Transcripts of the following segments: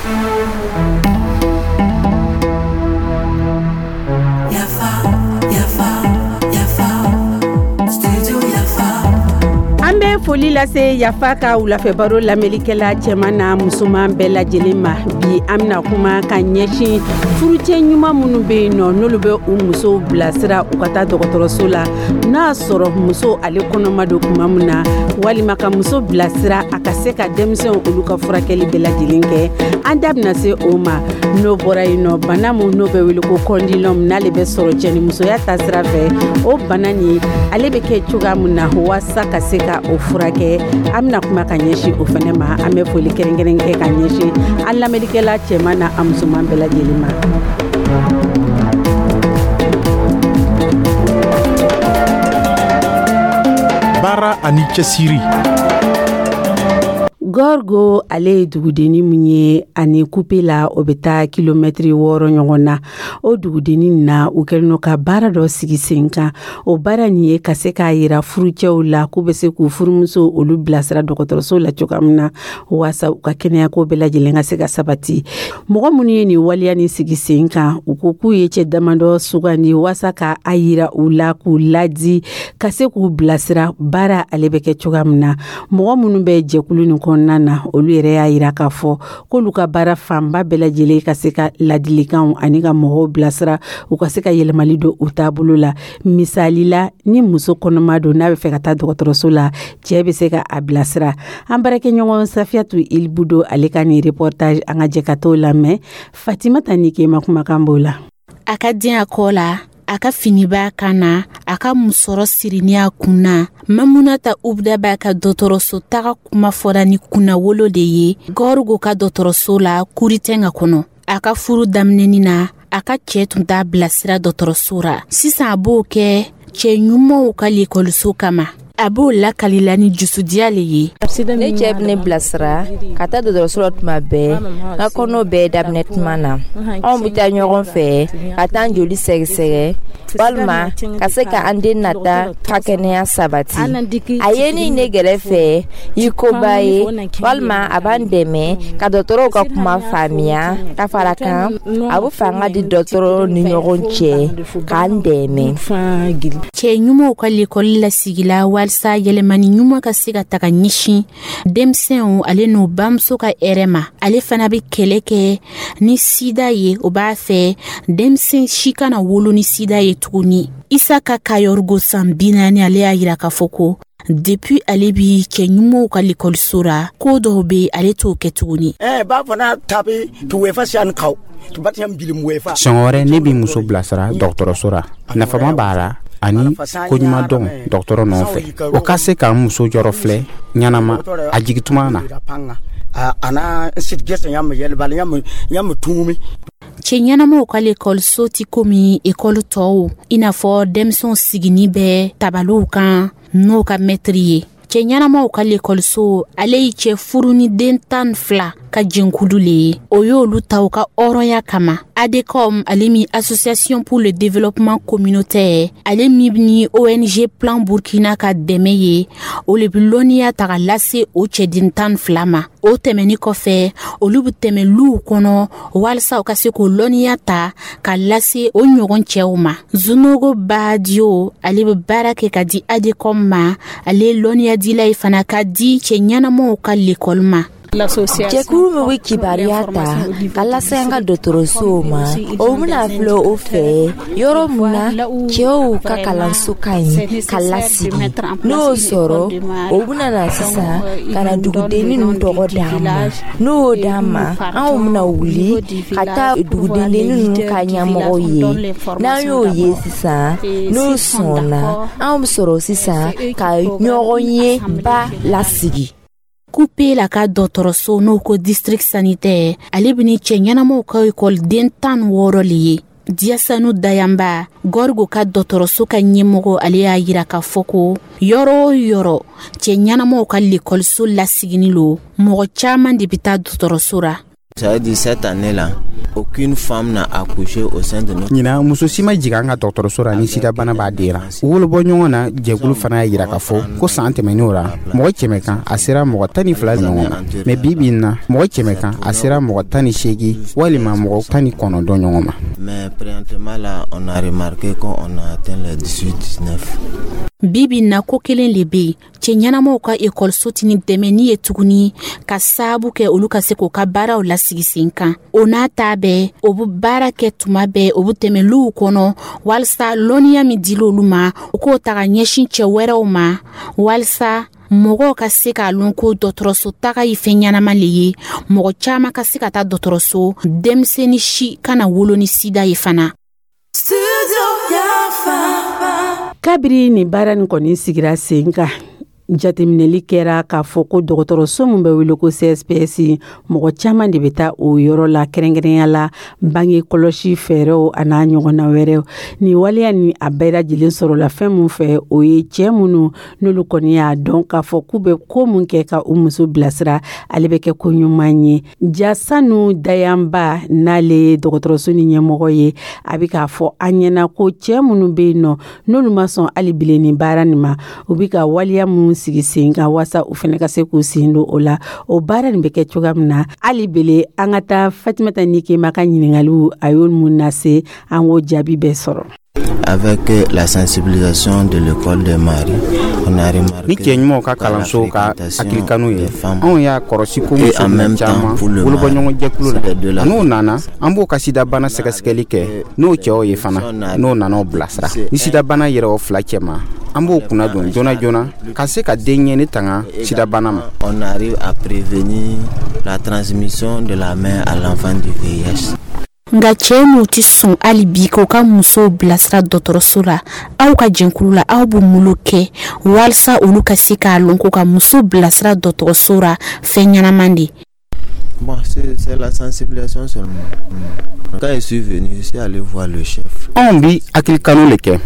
Yafa, yafa, yafa, studio Yafa. An bɛ foli lase Yafa ka wulafɛbaro lamɛnlikɛla cɛman n'a musoman bɛɛ lajɛlen ma. Bi, an bɛna kuma ka ɲɛsin furucɛ ɲuman minnu bɛ yen nɔ, n'olu bɛ u musow bilasira u ka taa dɔgɔtɔrɔso la, n'a y'a sɔrɔ muso ale kɔnɔma don tuma min na, walima ka muso bilasira a ka se ka denmisɛnw olu ka furakɛli bɛɛ lajɛlen kɛ. An da bɛna se o ma. N'o bɔra yen nɔ, bana min n'o bɛ wele ko condylome, n'ale bɛ sɔrɔ cɛnimusoya taasira fɛ, o bana nin, ale bɛ kɛ cogoya min na walasa ka se ka o furakɛ, an bɛna kuma ka ɲɛsin o fɛnɛ ma. An bɛ foli kɛrɛnkɛrɛn kɛ ka ɲɛsin an lamɛnnikɛla cɛman na a musoman bɛɛ lajɛlen ma. Baara ani cɛsiri. Gorgo, ale ye dugudenni min ye, ani Kupela, o bɛ taa kilomɛtiri 6 ɲɔgɔn na. O dugudenni na, u kɛlen don ka baara dɔ sigi sen kan. O baara nin ye ka se k'a yira furucɛw la k'u bɛ se k'u furumuso olu bilasira dɔgɔtɔrɔso la cogoya min na, waasa u ka kɛnɛyako bɛɛ lajɛlen ka se ka sabati. Mɔgɔ minnu ye nin waleya nin sigi sen kan, u ko k'u ye cɛ damadɔ sugandi waasa ka a yira u la, k'u ladi, ka se k'u bilasira baara ale bɛ kɛ cogoya min na. Mɔgɔ minnu bɛ jɛkulu nin kɔnɔna na, olu yɛrɛ y'a yira k'a fɔ k'olu ka baara fanba bɛɛ lajɛlen ka se ka ladilikanw ani ka mɔgɔw bilasira u ka se ka yɛlɛmali don u taabolo la. Misali la, ni muso kɔnɔma don, n'a bɛ fɛ ka taa dɔgɔtɔrɔso la, cɛɛ bɛ se ka a bilasira. An baarakɛɲɔgɔn Safiyatu Ilibudo, ale ka nin reportage, an ka jɛ ka t'o lamɛn. Fatimata ni Kema kumakan b'o la. A ka den a kɔ la, a ka fini b'a kan na, a ka musɔrɔ sirini a kun na, Mamunata Ubda b'a ka dɔgɔtɔrɔso taga kuma fɔra ni kunnawolo de ye Gɔrigo ka dɔgɔtɔrɔso la Kuritɛnga kɔnɔ. A ka furu daminɛni na, a ka cɛɛ tun t'a bilasira dɔgɔtɔrɔso ra. Sisan a b'o kɛ cɛɛ ɲumanw ka lekɔliso kama. A b'o lakalila ni jusudiya le ye. Ne cɛ bɛ ne bilasira ka taa dɔgɔtɔrɔso la tuma bɛɛ, n ka kɔnɔ bɛɛ daminɛ tuma na. Anw bɛ taa ɲɔgɔn fɛ ka taa an joli sɛgɛsɛgɛ walima ka se ka an den nata ka kɛnɛya sabati. A ye ni ne gɛrɛfɛ i koba ye, walima a b'an dɛmɛ ka dɔgɔtɔrɔw ka kuma faamuya. Ka fara kan, a bɛ fanga di dɔgɔtɔrɔw ni ɲɔgɔn cɛ k'an dɛmɛ. Cɛ ɲumanw ka lekɔli lasigila walisa yɛlɛmani ɲuman ka se ka taga ɲɛsin denmisɛnw ale n'u bamuso ka hɛrɛ ma. Ale fana bɛ kɛlɛ kɛ ni sida ye. O b'a fɛ denmisɛn si kana wolo ni sida ye tuguni. Isaka Kayɔrigo, san 40, ale y'a yira k'a fɔ ko depuis ale bi cɛ ɲumanw ka lekɔliso ra, ko dɔw be ale t'o kɛ tuguni. Siɲɛ wɛrɛ, ne b'i muso bilasira dɔgɔtɔrɔso ra. Nafama b'a la ani koɲuman dɔn dɔgɔtɔrɔ nɔfɛ, o ka se k'an muso jɔrɔ filɛ ɲɛnama a jigituma na. Cɛ ɲɛnamaw ka lekɔliso ti komi ekɔli tɔw, i n'a fɔ denmisɛnw sigini bɛ tabaliw kan n'o ka mɛtiri ye. Cɛ ɲɛnamaw ka lekɔliso, ale ye cɛ furu ni den 12 ka jɛnkulu le ye. O y'olu ta u ka hɔrɔnya kama. ADECOM, ale min Association pour le développement communautaire, ale min ni ONG Plan Burkina ka dɛmɛ ye, o le bi lɔnniya ta ka lase o cɛden 12 ma. O tɛmɛni kɔfɛ, olu bi tɛmɛ luw kɔnɔ walisa u ka se k'o lɔnniya ta ka lase o ɲɔgɔn cɛw ma. Zunogo Badio, ale bɛ baara kɛ ka di ADECOM ma. Ale ye lɔnniyadila ye fana ka di cɛ ɲɛnamaw ka lekɔli ma. Jɛkulu min bɛ kibaruya ta ka lase an ka dɔgɔtɔrɔsow ma, o bɛna filɛ o fɛ yɔrɔ min na cɛw ka kalanso ka ɲi ka lasigi. N'o y'o sɔrɔ, o bɛna na sisan ka na dugudenni ninnu tɔgɔ d'an ma. N'o y'o d'an ma, anw bɛna wuli ka taa dugudenni ninnu ka ɲɛmɔgɔw ye. N'an y'o ye sisan, n'o sɔnna, anw bɛ sɔrɔ sisan ka ɲɔgɔn ye ba lasigi. Kupela ka dɔgɔtɔrɔso, n'o ko district sanitaire, ale bɛ ni cɛ ɲɛnamaw ka ekɔliden 16 le ye. Diyasanu Dayanba, Gɔrigo ka dɔgɔtɔrɔso ka ɲɛmɔgɔ, ale y'a yira k'a fɔ ko yɔrɔ o yɔrɔ cɛ ɲɛnamaw ka lekɔliso lasigini lo, mɔgɔ caman de bɛ taa dɔgɔtɔrɔso ra. Ça veut dire cette année-là, aucune femme n'a accouché au sein de notre. Ɲinan, muso si ma jigin an ka dɔgɔtɔrɔso ra ni sidabana b'a den ra. Wolobɔ ɲɔgɔn na jɛkulu fana y'a yira k'a fɔ ko san tɛmɛnenw ra, mɔgɔ 100 kan, a sera mɔgɔ 12 ɲɔgɔn ma, mɛ bi bi in na, mɔgɔ 100 kan, a sera mɔgɔ 18 walima mɔgɔ 19 ɲɔgɔn ma. Mais présentement là, on a remarqué qu'on a atteint les 18 19. Bi bi na, ko kelen le be yen: cɛ ɲɛnamaw ka ekɔliso tɛ ni dɛmɛni ye tuguni ka saabu kɛ olu ka se k'o ka baaraw lasigi sen kan. O n'a ta bɛɛ, o be baara kɛ tuma bɛɛ, o be tɛmɛliw kɔnɔ walisa lɔnniya min dila olu ma, u k'o ta ka ɲɛsin cɛ wɛrɛw ma, walisa mɔgɔw ka se k'a lɔn ko dɔgɔtɔrɔso taga ye fɛn ɲɛnama le ye, mɔgɔ caaman ka se ka taa dɔgɔtɔrɔso, denmisɛnni si kana wolo ni sida ye fana. Kabiri nin baara nin kɔni sigira sen kan, jateminɛli kɛra k'a fɔ ko dɔgɔtɔrɔso min bɛ wele ko CSPS, mɔgɔ caman de bɛ taa o yɔrɔ la, kɛrɛnkɛrɛnya la bange kɔlɔsi fɛɛrɛw a n'a ɲɔgɔnna wɛrɛw. Nin waleya ni a bɛɛ lajɛlen sɔrɔla fɛn min fɛ, o ye cɛɛ minnu n'olu kɔni y'a dɔn k'a fɔ k'u bɛ ko mun kɛ ka u muso bilasira, ale bɛ kɛ ko ɲuman ye. Jasanu Dayanba, n'ale ye dɔgɔtɔrɔso ni ɲɛmɔgɔ ye, a bɛ k'a fɔ an ɲɛna ko cɛɛ minnu bɛ yen nɔ, n'olu ma sɔn hali bilen nin baara nin ma, u bɛ ka waleya mun sigi sen kan waasa u fana ka se k'u sen don o la, o baara nin bɛ kɛ cogoya min na. Hali bele an ka taa Fatimata Nikema ka ɲiningaliw, a y'o mun lase an, k'o jaabi bɛɛ sɔrɔ. Avec la sensibilisation de l'école de Marie, on a remarqué Ni cɛ ɲumanw ka kalanso ka hakilikanu ye, anw y'a kɔrɔsi ko muso minɛ caman wolobɔɲɔgɔn jɛkulu la, n'o nana, an b'o ka sidabana sɛgɛsɛgɛli kɛ n'o cɛw ye fana. N'o nana o bilasira, ni sidabana yɛrɛ o fila cɛ ma, an b'o kunna don joona joona ka se ka den ɲɛni tanga sidabana ma. On arrive à prévenir la transmission de la mère à l'enfant du VIH. Nka cɛɛ n'u tɛ sɔn hali bi k'u ka musow bilasira dɔgɔtɔrɔso la, aw ka jɛnkulu la, aw b'u mulu kɛ walasa olu ka se k'a lɔn ko ka muso bilasira dɔgɔtɔrɔso la fɛn ɲɛnaman de? Bon, c'est la sensibilisation seulement. Quand je suis venu, je suis allé voir le chef. Anw bi hakilikanu le kɛ.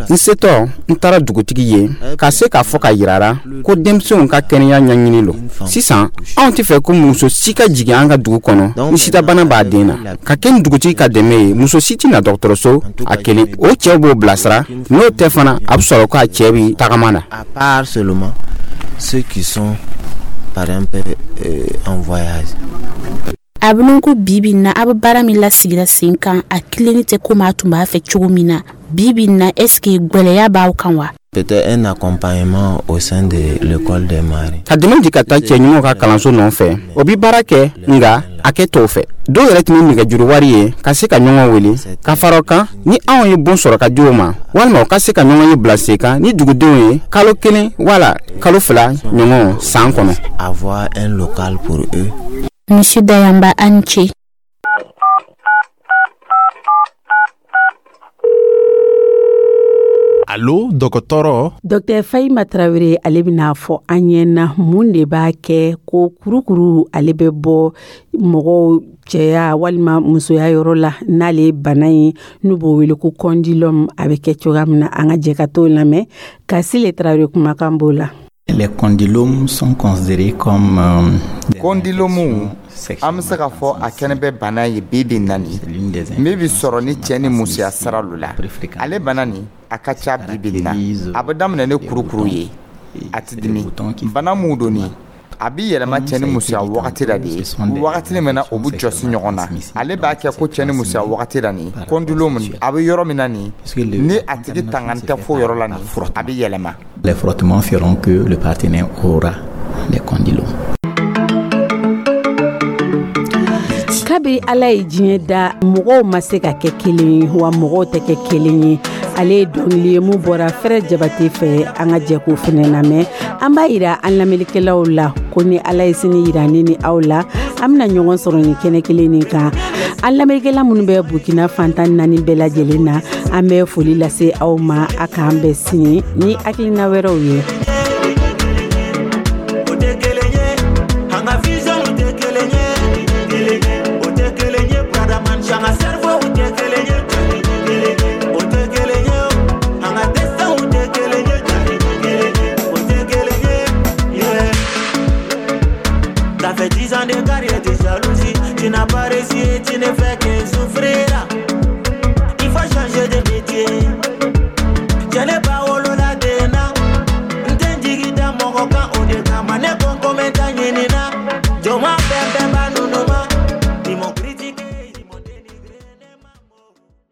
N setɔ, n taara dugutigi ye ka se k'a fɔ ka yirara ko denmisɛnw ka kɛnɛya ɲɛɲini lo. Sisan, anw tɛ fɛ ko muso si ka jigin an ka dugu kɔnɔ ni sidabana b'a den na. Ka kɛ ni dugutigi ka dɛmɛ ye, muso si tɛ na dɔgɔtɔrɔso a kelen. O cɛw b'o bilasira, n'o tɛ fana, a bɛ sɔrɔ k'a cɛ bi tagama na. À part seulement ceux qui sont par exemple en voyage. A bɛ ko bibi na, a bɛ baara min lasigira sen kan, a kilenni tɛ komi a tun b'a fɛ cogo min na. Bibi na, est ce que gwɛlɛya b'aw kan wa? Peut-être un accompagnement au sein de l'école des maris. Ka dɛmɛ di ka taa cɛ ɲumanw ka kalanso nɔfɛ, o bi baara kɛ, nga a kɛ tɔw fɛ. Dɔw yɛrɛ tun bɛ nɛgɛjuru wari ye ka se ka ɲɔgɔn wele ka fara o kan. Ni anw ye bon sɔrɔ ka di o ma, walima u ka se ka ɲɔgɔn ye bila sen kan ni dugudenw ye kalo 1 wala kalo 2 ɲɔgɔn san kɔnɔ. Avoir un local pour eux. Monsieur Dayamba, a ni ce. Alo, dɔgɔtɔrɔ. Dr Fahima Tarawele, ale bɛna fɔ an ɲɛna mun de b'a kɛ ko kurukuru ale bɛ bɔ mɔgɔw cɛya walima musoya yɔrɔ la, n'ale ye bana ye n'u b'o wele ko condylome, a bɛ kɛ cogoya min na. An ka jɛ ka t'o lamɛn. Kasile Tarawele kumakan b'o la. Les condylomes sont considérés comme Kɔndilomuw, an bɛ se k'a fɔ a kɛnɛ bɛ bana ye bi bi na nin min bɛ sɔrɔ ni cɛ ni musoya sira lo la. Ale bana nin, a ka ca bi bi na. A bɛ daminɛ ni kurukuru ye, a tɛ dimi. Bana mun don nin, a bɛ yɛlɛma cɛ ni musoya wagati la de ye, wagati min na o bɛ jɔsi ɲɔgɔn na. Ale b'a kɛ ko cɛ ni musoya wagati la nin, condylome a bɛ yɔrɔ min na nin, ni a tigi tangan tɛ fo yɔrɔ la nin, a bɛ yɛlɛma. Les frottements feront que le partenaire aura les condylomes. Kabi Ala ye diɲɛ da, mɔgɔw ma se ka kɛ kelen ye, wa mɔgɔw tɛ kɛ kelen ye. Ale ye dɔnkili ye mun bɔra Fɛrɛ Jabate fɛ, an ka jɛ k'o fɛnɛ lamɛn. An b'a yira an lamɛnnikɛlaw la ko ni Ala ye sini yira ne ni aw la, an bɛna ɲɔgɔn sɔrɔ nin kɛnɛ kelen nin kan. An lamɛnnikɛla minnu bɛ Burkina fantan naani bɛɛ lajɛlen na, an bɛ foli lase aw ma. A k'an bɛn sini ni hakilina wɛrɛw ye. Ça fait 10 ans de carrière de jalousie. Tu Tu n'as pas réussi et tu ne fais que souffrir.